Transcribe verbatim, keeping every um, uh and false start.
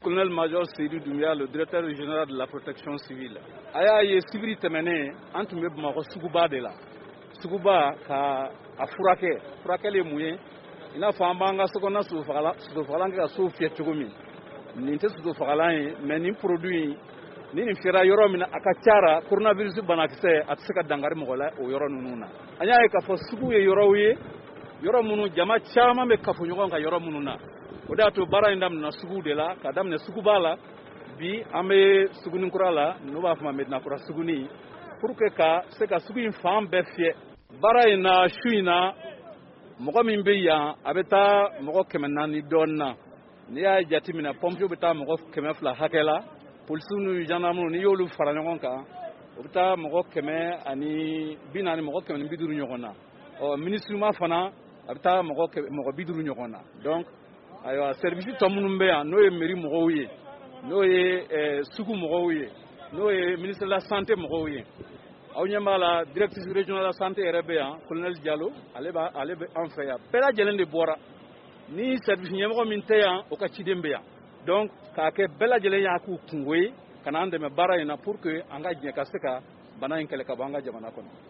Colonel major Seydou Doumbia, le directeur régional de la protection civile. A y'a ye, sibiri tɛmɛnen, an tun bɛ Bamakɔ suguba de la, suguba ka a furakɛ. Furakɛli ye mun ye? I n'a fɔ an b'an ka sokɔnɔna sosofagalan kɛ ka sow fiyɛ cogo min. Nin tɛ sosofagalan ye, mais nin produit in, ni nin fiyɛra yɔrɔ min na, a ka ca la, coronavirus banakisɛ a tɛ se ka dankari mɔgɔ la o yɔrɔ ninnu na. An y'a ye k'a fɔ sugu ye yɔrɔw ye, yɔrɔ minnu jama caman bɛ kafo ɲɔgɔn kan yɔrɔ minnu na. O de y'a to baara in daminɛna sugu de la, ka daminɛ suguba la. Bi, an bɛ suguninkura la, n'u b'a fɔ ma Medinakura suguni, pour que ka se ka sugu in fan bɛɛ fiyɛ. Baara in na, su in na, mɔgɔ min bɛ yan, a bɛ taa mɔgɔ kɛmɛ naani dɔɔnin na. N'i y'a jateminɛ, pompiers bɛ taa mɔgɔ kɛmɛ fila hakɛ la, polisiw ni gendarmew, n'i y'olu fara ɲɔgɔn kan, o bɛ taa mɔgɔ kɛmɛ ani bi naani, mɔgɔ kɛmɛ ni bi duuru ɲɔgɔn na. Ɔ, MINUSMA fana, a bɛ taa mɔgɔ mɔgɔ bi duuru ɲɔgɔn na. Donc ayiwa, service tɔ minnu bɛ yan, n'o ye mairie mɔgɔw ye, n'o ye sugu mɔgɔw ye, n'o ye ministère de la Santé mɔgɔw ye, aw ɲɛ b'a la, directrice régionale de la Santé yɛrɛ bɛ yan, colonel Diallo, ale b'a ale bɛ an fɛ yan. Bɛɛ lajɛlen de bɔra. Ni service ɲɛmɔgɔ min tɛ yan, o ka ciden bɛ yan. Donc k'a kɛ bɛɛ lajɛlen y'a k'u kungo ye ka n'an dɛmɛ baara in na, pour que an ka jɛ ka se ka bana in kɛlɛ ka bɔ an ka jamana kɔnɔ.